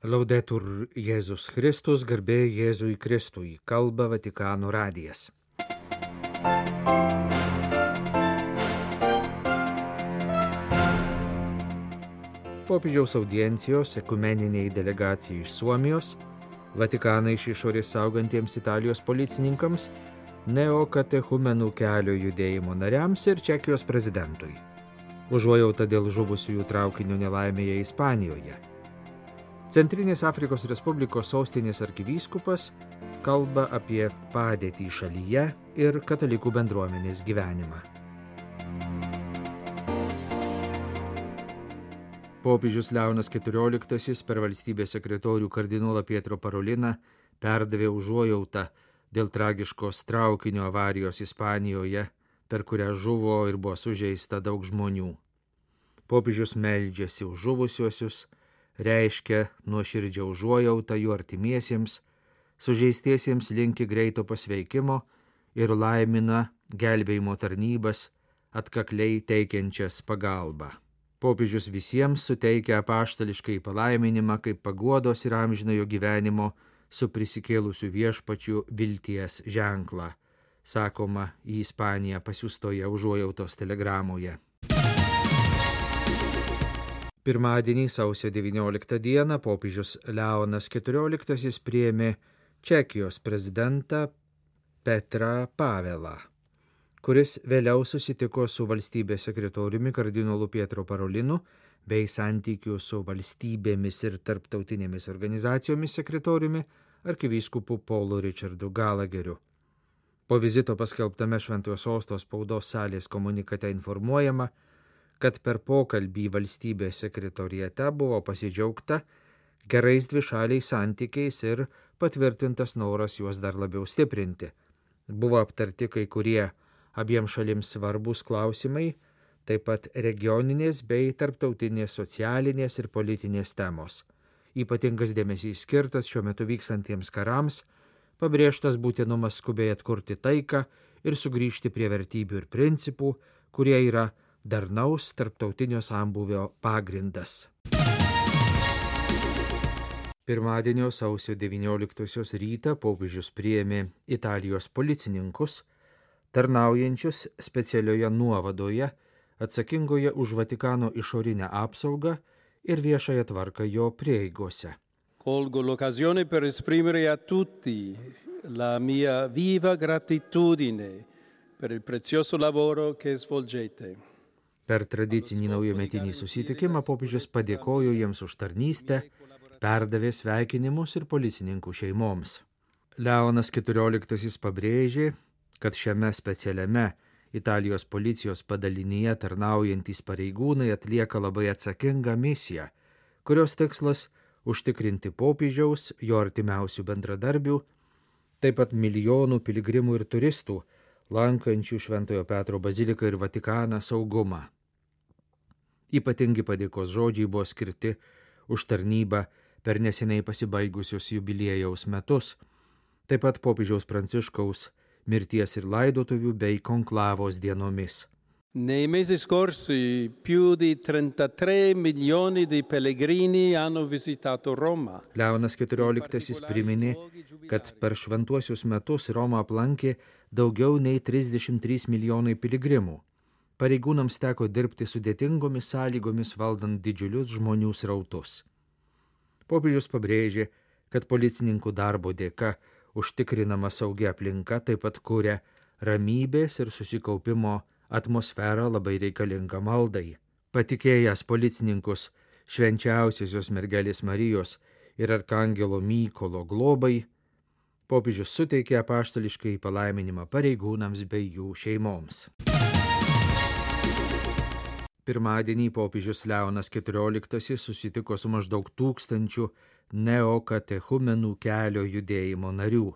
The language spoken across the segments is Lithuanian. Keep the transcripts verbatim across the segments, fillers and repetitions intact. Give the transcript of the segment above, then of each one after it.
Laudetur Jėzus Kristus, garbė Jėzui Kristui, kalba Vatikano radijas. Popiežiaus audiencijos ekumeniniai delegacijai iš Suomijos, Vatikaną iš išorės saugantiems Italijos policininkams, neokatechumenų kelio judėjimo nariams ir Čekijos prezidentui. Užuojauta dėl žuvusiųjų traukinio nelaimėje Ispanijoje. Centrinės Afrikos Respublikos sostinės arkivyskupas kalba apie padėtį šalyje ir katalikų bendruomenės gyvenimą. Popiežius Leonas keturioliktasis per valstybės sekretorių kardinolą Pietro Paroliną perdavė užuojautą dėl tragiškos traukinio avarijos Ispanijoje, per kurią žuvo ir buvo sužeista daug žmonių. Popiežius meldžiasi už žuvusiuosius, reiškia nuoširdžią užuojautą jų artimiesiems, sužeistiesiems linki greito pasveikimo ir laimina gelbėjimo tarnybas atkakliai teikiančias pagalbą. Popiežius visiems suteikia apaštališkai palaiminimą kaip paguodos ir amžinojo gyvenimo su prisikėlusiu viešpačiu vilties ženklą, sakoma į Ispaniją pasiųstoje užuojautos telegramoje. Pirmadienį sausio devynioliktą dieną popiežius Leonas keturioliktasis priėmė Čekijos prezidentą Petrą Pavelą, kuris vėliau susitiko su valstybės sekretoriumi kardinolu Pietro Parolinu bei santykių su valstybėmis ir tarptautinėmis organizacijomis sekretoriumi arkivyskupu Paulu Richardu Galageriu. Po vizito paskelbtame Šventojo Sosto spaudos salės komunikate informuojama, kad per pokalbį valstybės sekretoriate buvo pasidžiaugta gerais dvišaliais santykiais ir patvirtintas noras juos dar labiau stiprinti. Buvo aptarti kai kurie abiems šalims svarbus klausimai, taip pat regioninės bei tarptautinės socialinės ir politinės temos. Ypatingas dėmesys skirtas šiuo metu vykstantiems karams, pabrėžtas būtinumas skubiai atkurti taiką ir sugrįžti prie vertybių ir principų, kurie yra darnaus tarptautinio sambūvio pagrindas. Pirmadienio sausio devynioliktosios rytą popiežius priėmė Italijos policininkus, tarnaujančius specialioje nuovadoje, atsakingoje už Vatikano išorinę apsaugą ir viešąją tvarką jo prieigose. Colgo l'occasione per esprimere a tutti la mia viva gratitudine per il prezioso lavoro che svolgete. Per tradicinį naujametinį susitikimą popiežius padėkojo jiems už tarnystę, perdavė sveikinimus ir policininkų šeimoms. Leonas keturioliktasis pabrėžė, kad šiame specialiame Italijos policijos padalinyje tarnaujantys pareigūnai atlieka labai atsakingą misiją, kurios tikslas užtikrinti popiežiaus, jo artimiausių bendradarbių, taip pat milijonų piligrimų ir turistų, lankančių Šventojo Petro baziliką ir Vatikaną saugumą. Ypatingi padėkos žodžiai buvo skirti už tarnybą per neseniai pasibaigusius jubiliejaus metus, taip pat popiežiaus Pranciškaus mirties ir laidotuvių bei konklavos dienomis. Nei mesi scorsi più di trentatré milioni di pellegrini hanno visitato Roma. Leonas keturioliktasis priminė, kad per šventuosius metus Romą aplankė daugiau nei trisdešimt trys milijonai piligrimų. Pareigūnams teko dirbti sudėtingomis sąlygomis valdant didžiulius žmonių srautus. Popiežius pabrėžė, kad policininkų darbo dėka užtikrinama saugi aplinka taip pat kuria ramybės ir susikaupimo atmosferą labai reikalingą maldai. Patikėjęs policininkus švenčiausiosios mergelės Marijos ir arkangelo Mykolo globai, popiežius suteikė apaštališkai palaiminimą pareigūnams bei jų šeimoms. Pirmadienį popiežius Leonas keturioliktasis susitiko su maždaug tūkstančių neokatechumenų kelio judėjimo narių.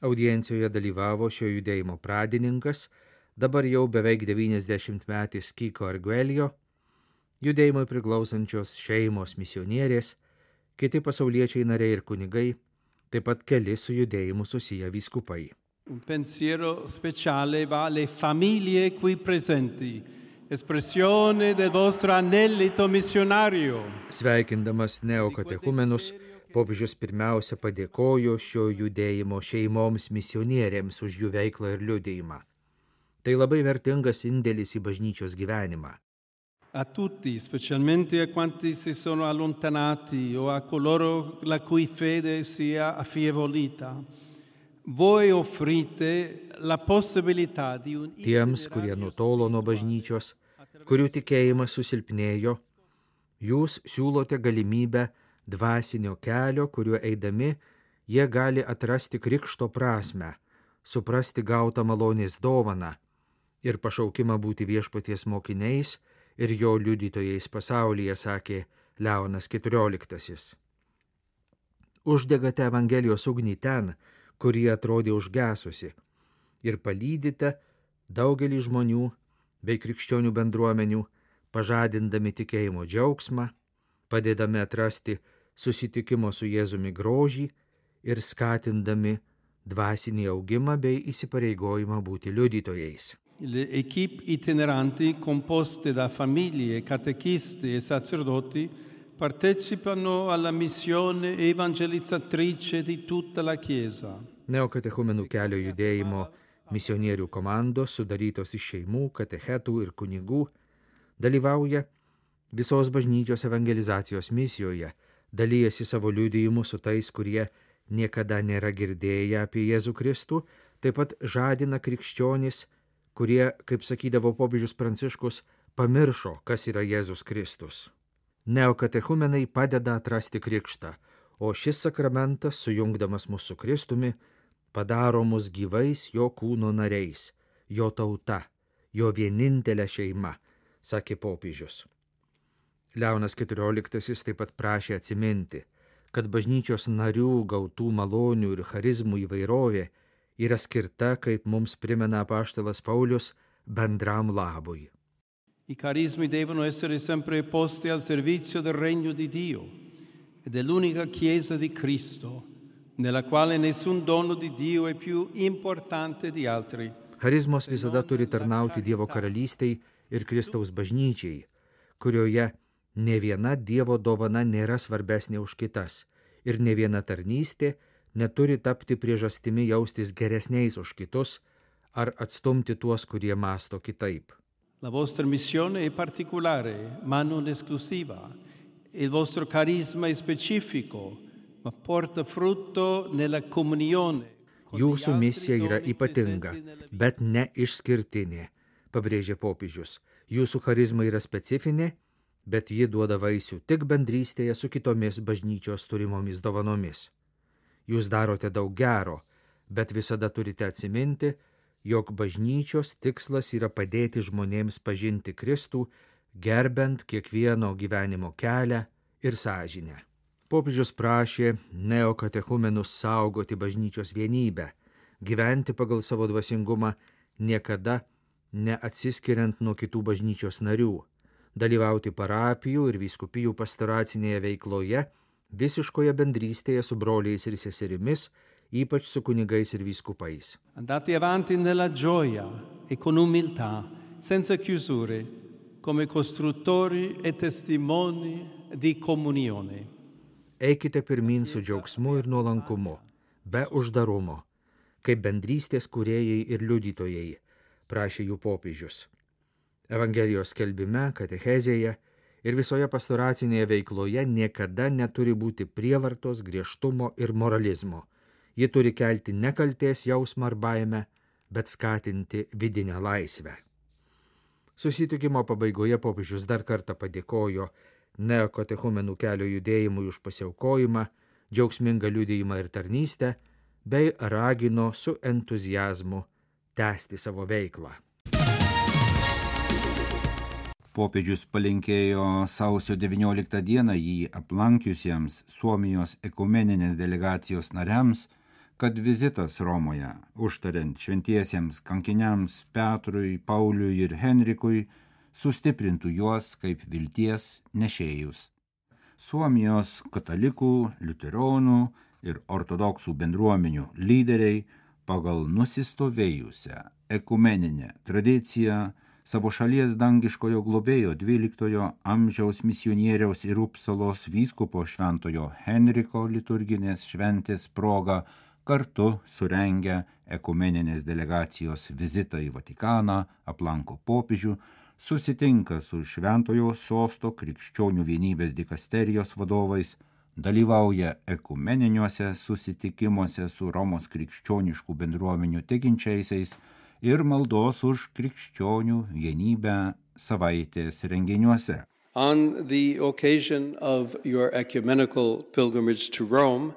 Audiencijoje dalyvavo šio judėjimo pradininkas, dabar jau beveik devyniasdešimtmetis Kiko Arguelio, judėjimui priklausančios šeimos misionierės, kiti pasauliečiai nariai ir kunigai, taip pat keli su judėjimu susiję vyskupai. Un pensiero speciale va alle famiglie qui presenti espressione del vostro anelito missionario. Sveikindamas neokatechumenus, popiežius pirmiausia padėkojo šio judėjimo šeimoms misionieriams už jų veiklą ir liudijimą. Tai labai vertingas indėlis į bažnyčios gyvenimą. A tutti, specialmente a quanti si sono allontanati o a coloro la cui fede sia affievolita, voi offrite la possibilità di un Tiems, kurie nutolo nuo bažnyčios, kurių tikėjimas susilpnėjo, jūs siūlote galimybę dvasinio kelio, kuriuo eidami jie gali atrasti krikšto prasmę, suprasti gautą malonės dovaną ir pašaukimą būti viešpaties mokiniais ir jo liudytojais pasaulyje, sakė Leonas keturioliktasis. Uždegate Evangelijos ugnį ten, kurie atrodė užgesusi, ir palydite daugelį žmonių bei krikščionių bendruomenių, pažadindami tikėjimo džiaugsmą, padėdami atrasti susitikimo su Jėzumi grožį ir skatindami dvasinį augimą bei įsipareigojimą būti liudytojais. Le equipe itineranti composte da famiglie, catechisti e sacerdoti partecipano alla missione evangelizzatrice di tutta la Chiesa. Neokatechumenų kelio judėjimo misionierių komandos, sudarytos iš šeimų, katechetų ir kunigų, dalyvauja visos bažnyčios evangelizacijos misijoje, dalyjasi savo liudijimu su tais, kurie niekada nėra girdėję apie Jėzų Kristų, taip pat žadina krikščionis, kurie, kaip sakydavo popiežius Pranciškus, pamiršo, kas yra Jėzus Kristus. Neokatechumenai padeda atrasti krikštą, o šis sakramentas, sujungdamas mus su Kristumi, padaro mus gyvais jo kūno nariais, jo tauta, jo vienintelė šeima, sakė popiežius. Leonas keturioliktasis taip pat prašė atsiminti, kad bažnyčios narių gautų malonių ir charizmų įvairovė yra skirta, kaip mums primena apaštalas Paulius, bendram labui. I carismi devono essere sempre posti al servizio del regno di Dio e dell'unica Chiesa di Cristo, nella quale nessun dono di Dio è più importante di altri. Charizmos visada turi tarnauti Dievo karalystei ir Kristaus bažnyčiai, kurioje ne viena Dievo dovana nėra svarbesnė už kitas ir ne viena tarnystė neturi tapti priežastimi jaustis geresniais už kitus ar atstumti tuos, kurie mąsto kitaip. La vostra missione è particolare, ma non esclusiva. Il vostro carisma è specifico, ma porta frutto nella comunione. Jūsų misija yra ypatinga, bet ne išskirtinė, pabrėžė popiežius. Jūsų charizma yra specifinė, bet ji duoda vaisių tik bendrystėje su kitomis bažnyčios turimomis dovanomis. Jūs darote daug gero, bet visada turite atsiminti, jog bažnyčios tikslas yra padėti žmonėms pažinti Kristų, gerbent kiekvieno gyvenimo kelią ir sąžinę. Popiežius prašė neokatechumenus saugoti bažnyčios vienybę, gyventi pagal savo dvasingumą, niekada neatsiskiriant nuo kitų bažnyčios narių, dalyvauti parapijų ir vyskupijų pastoracinėje veikloje, visiškoje bendrystėje su broliais ir seserimis, ypač su kunigais ir vyskupais. Andate avanti nella gioia e con umiltà, senza chiusure, come costruttori e testimoni di comunione. Eikite pirmin su džiaugsmu ir nuolankumu, be uždarumo, kaip bendrystės kūrėjai ir liudytojai, prašė jų popiežius. Evangelijos skelbime, katechezėje ir visoje pastoracinėje veikloje niekada neturi būti prievartos, griežtumo ir moralizmo. Ji turi kelti ne kaltės jausmą ar baimę, bet skatinti vidinę laisvę. Susitikimo pabaigoje popiežius dar kartą padėkojo neokatechumenų kelio judėjimui už pasiaukojimą, džiaugsmingą liudijimą ir tarnystę, bei ragino su entuziazmu tęsti savo veiklą. Popiežius palinkėjo sausio devynioliktą dieną jį aplankiusiems Suomijos ekumeninės delegacijos nariams, kad vizitas Romoje, užtariant šventiesiems kankiniams Petrui, Pauliui ir Henrikui, sustiprintų juos kaip vilties nešėjus. Suomijos katalikų, liuteronų ir ortodoksų bendruomenių lyderiai pagal nusistovėjusią ekumeninę tradiciją savo šalies dangiškojo globėjo dvyliktojo amžiaus misionieriaus ir Upsalos vyskupo šventojo Henriko liturginės šventės proga kartu surengę ekumeninės delegacijos vizitą į Vatikaną, aplanko popiežių, susitinka su šventojo sosto krikščionių vienybės dikasterijos vadovais, dalyvauja ekumeniniuose susitikimuose su Romos krikščioniškų bendruomenių tikinčiaisiais ir maldos už krikščionių vienybę savaitės renginiuose. On the occasion of your ecumenical pilgrimage to Rome,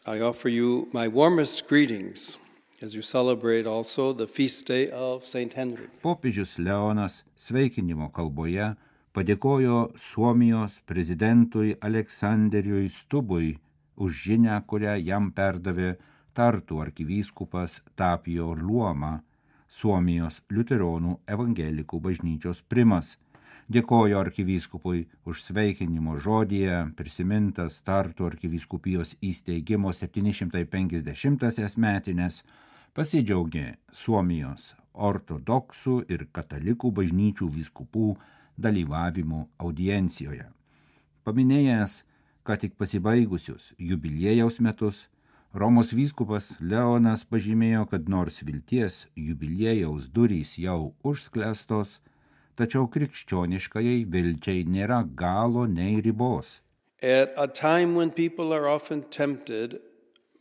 I offer you my warmest greetings as you celebrate also the feast day of Saint Henry. Popiežius Leonas sveikinimo kalboje padėkojo Suomijos prezidentui Aleksanderiui Stubui už žinią, kurią jam perdavė Tartu arkivyskupas Tapio Luoma, Suomijos liuteronų evangelikų bažnyčios primas. Dėkojo arkivyskupui už sveikinimo žodyje prisimintas Tartu arkivyskupijos įsteigimo septyni šimtai penkiasdešimtąsias metinės, pasidžiaugė Suomijos ortodoksų ir katalikų bažnyčių vyskupų dalyvavimu audiencijoje. Paminėjęs, ką tik pasibaigusius jubiliejaus metus, Romos vyskupas Leonas pažymėjo, kad nors vilties jubiliejaus durys jau užsklęstos, tačiau krikščioniškajai vilčiai nėra galo nei ribos. At a time when people are often tempted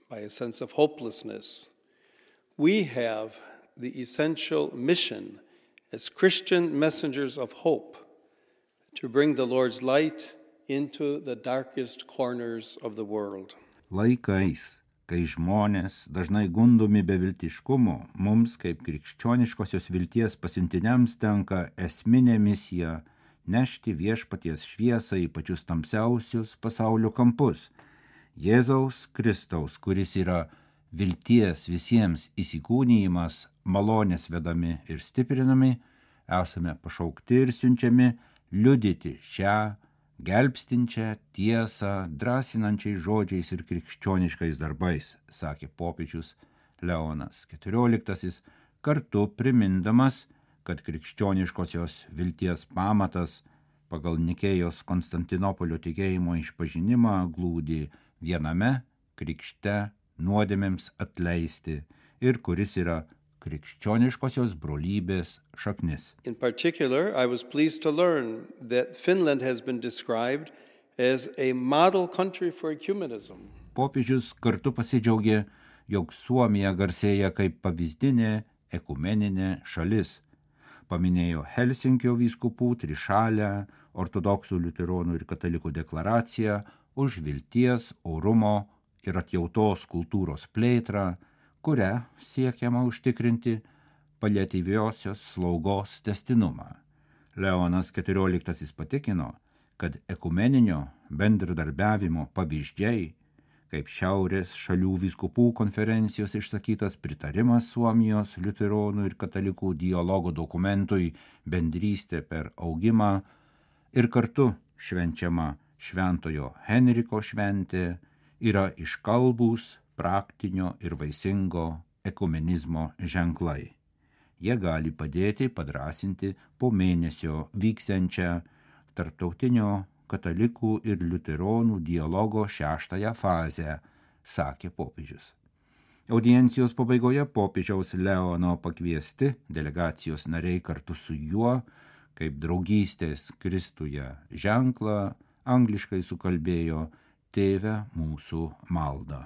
by a sense of hopelessness, we have the essential mission as Christian messengers of hope to bring the Lord's light into the darkest corners of the world. Laikais, kai žmonės dažnai gundomi beviltiškumo, mums kaip krikščioniškosios vilties pasiuntiniams tenka esminė misija nešti viešpaties šviesą į pačius tamsiausius pasaulio kampus. Jėzaus Kristaus, kuris yra vilties visiems įsikūnijimas, malonės vedami ir stiprinami, esame pašaukti ir siunčiami liudyti šią gelbstinčią tiesą drąsinančiais žodžiais ir krikščioniškais darbais, sakė popiežius Leonas keturioliktasis, kartu primindamas, kad krikščioniškosios vilties pamatas pagal Nikėjos Konstantinopolio tikėjimo išpažinimą glūdi viename krikšte nuodėmėms atleisti ir kuris yra krikščioniškosios brolybės šaknis. In particular, I was pleased to learn that Finland has been described as a model country for ecumenism. Popiežius kartu pasidžiaugė, jog Suomija garsėja kaip pavyzdinė ekumeninė šalis. Paminėjo Helsinkio vyskupų trišalę ortodoksų, liuteronų ir katalikų deklaraciją už vilties, orumo ir atjautos kultūros plėtrą, kuria siekiama užtikrinti paliatyviosios slaugos testinumą. Leonas keturioliktasis patikino, kad ekumeninio bendradarbiavimo pavyzdžiai, kaip Šiaurės šalių vyskupų konferencijos išsakytas pritarimas Suomijos liuteronų ir katalikų dialogo dokumentui Bendrystė per augimą ir kartu švenčiama Šventojo Henriko šventė, yra iškalbūs praktinio ir vaisingo ekumenizmo ženklai. Jie gali padėti padrasinti po mėnesio vyksiančią tarptautinio katalikų ir liuteronų dialogo šeštąją fazę, sakė popiežius. Audiencijos pabaigoje popiežiaus Leono pakviesti delegacijos nariai kartu su juo, kaip draugystės Kristuje ženklą, angliškai sukalbėjo Tėve mūsų maldą.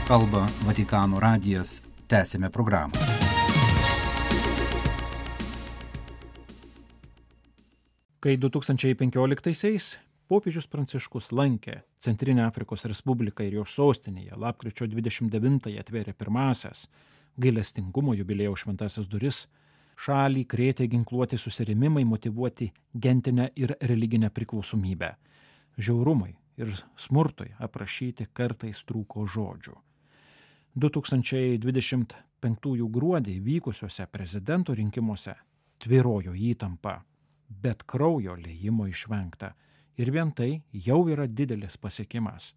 Kalba Vatikano radijas, tęsime programą. Kai du tūkstančiai penkioliktaisiais popiežius Pranciškus lankė Centrinę Afrikos Respubliką ir jos sostinėje lapkričio dvidešimt devintąją atvėrė pirmasias gailestingumo jubiliejaus šventąsias duris, šalį krėtė ginkluoti susirėmimai motyvuoti gentinę ir religinę priklausomybę. Žiaurumai ir smurtui aprašyti kartais trūko žodžių. du tūkstančiai dvidešimt penktųjų gruodį vykusiuose prezidento rinkimuose tvyrojo įtampa, bet kraujo liejimo išvengta ir vien tai jau yra didelis pasiekimas.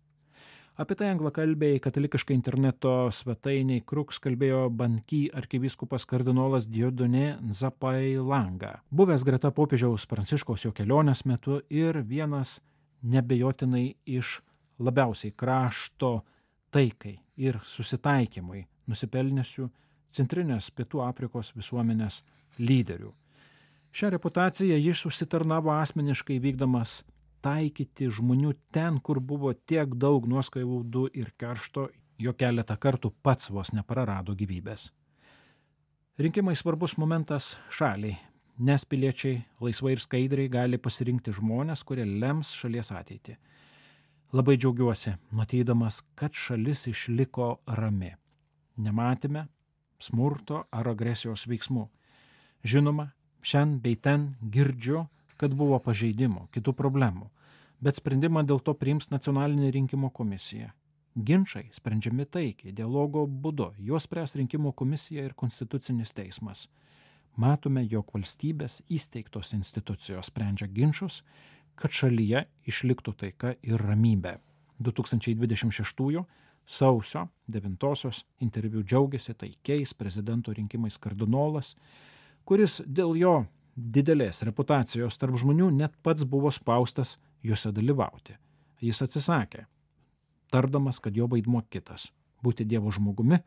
Apie tai anglakalbiai katalikiškai interneto svetainiai Crux kalbėjo Banki arkivyskupas kardinolas Dieudonné Nzapailanga, buvęs greta popiežiaus Pranciškaus jo kelionės metu ir vienas nebejotinai iš labiausiai krašto taikai ir susitaikymui nusipelniusių Centrinės Pietų Afrikos visuomenės lyderių. Šią reputaciją jis užsitarnavo asmeniškai vykdamas taikyti žmonių ten, kur buvo tiek daug nuoskaudų ir keršto, jo keletą kartų pats vos neprarado gyvybės. Rinkimai svarbus momentas šaliai, nes piliečiai laisvai ir skaidriai gali pasirinkti žmonės, kurie lems šalies ateitį. Labai džiaugiuosi, matydamas, kad šalis išliko rami. Nematėme smurto ar agresijos veiksmų. Žinoma, šiandien bei ten girdžiu, kad buvo pažeidimų, kitų problemų, bet sprendimą dėl to priims nacionalinė rinkimų komisija. Ginčai sprendžiami taikiai, dialogo būdu, juos spręs rinkimų komisija ir konstitucinis teismas. Matome, jog valstybės įsteigtos institucijos sprendžia ginčus, kad šalyje išliktų taika ir ramybė. du tūkstančiai dvidešimt šeštųjų sausio devintosios interviu džiaugiasi taikiais prezidento rinkimais kardinolas, kuris dėl jo didelės reputacijos tarp žmonių net pats buvo spaustas juose dalyvauti. Jis atsisakė, tardamas, kad jo vaidmuo kitas – būti Dievo žmogumi,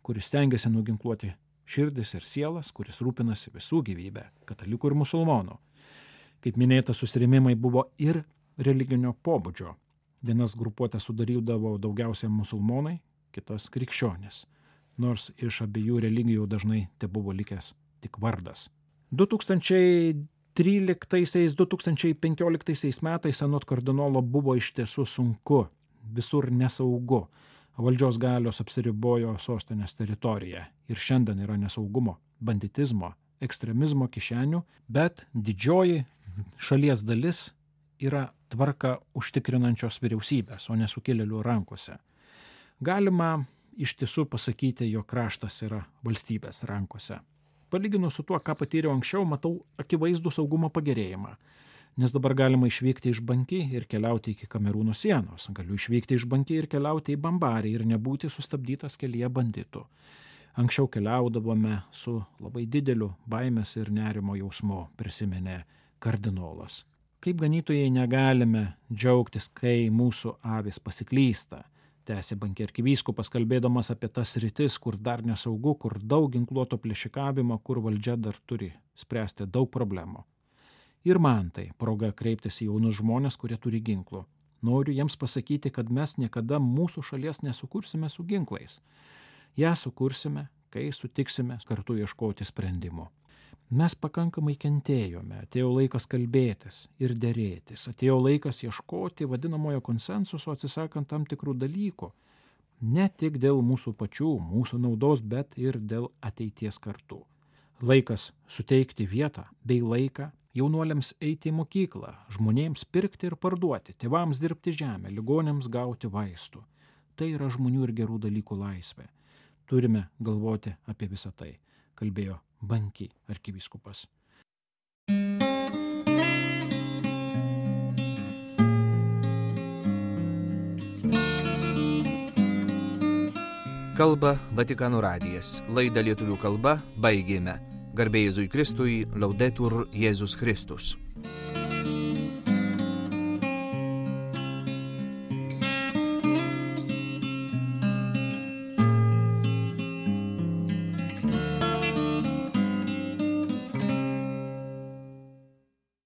kuris stengiasi nuginkluoti širdis ir sielas, kuris rūpinasi visų gyvybę, katalikų ir musulmonų. Kaip minėta, susirėmimai buvo ir religinio pobūdžio. Vienas grupuotės sudarydavo daugiausiai musulmonai, kitas krikščionis, nors iš abiejų religijų dažnai te buvo likęs tik vardas. du tūkstančiai tryliktaisiais - du tūkstančiai penkioliktaisiais metais anot kardinolo buvo iš tiesų sunku, visur nesaugu. Valdžios galios apsiribojo sostinės teritoriją ir šiandien yra nesaugumo, banditizmo, ekstremizmo kišenių, bet didžioji šalies dalis yra tvarka užtikrinančios vyriausybės, o ne sukilėlių rankose. Galima iš tiesų pasakyti, jog kraštas yra valstybės rankose. Palyginus su tuo, ką patyriau anksčiau, matau akivaizdų saugumo pagerėjimą, nes dabar galima išvykti iš Banki ir keliauti iki Kamerūno sienos, galiu išvykti iš Banki ir keliauti į Bambarį ir nebūti sustabdytas kelyje banditų. Anksčiau keliaudavome su labai dideliu baimės ir nerimo jausmu, prisiminė kardinolas. Kaip ganytojai negalime džiaugtis, kai mūsų avys pasiklysta, tęsė Banki arkivyskupas, kalbėdamas apie tas sritis, kur dar nesaugu, kur daug ginkluoto plėšikavimo, kur valdžia dar turi spręsti daug problemų. Ir man tai proga kreiptis į jaunus žmonės, kurie turi ginklų. Noriu jiems pasakyti, kad mes niekada mūsų šalies nesukursime su ginklais. Ja sukursime, kai sutiksime kartu ieškoti sprendimų. Mes pakankamai kentėjome, atėjo laikas kalbėtis ir derėtis, atėjo laikas ieškoti vadinamojo konsensuso atsisakant tam tikrų dalykų, ne tik dėl mūsų pačių, mūsų naudos, bet ir dėl ateities kartų. Laikas suteikti vietą bei laiką jaunuoliams eiti į mokyklą, žmonėms pirkti ir parduoti, tėvams dirbti žemę, ligonėms gauti vaistų. Tai yra žmonių ir gerų dalykų laisvė. Turime galvoti apie visą tai, kalbėjo Banki arkivyskupas. Kalba Vatikano radijas. Laidą lietuvių kalba baigėme. Garbė Jėzui Kristui, Laudetur Jėzus Kristus.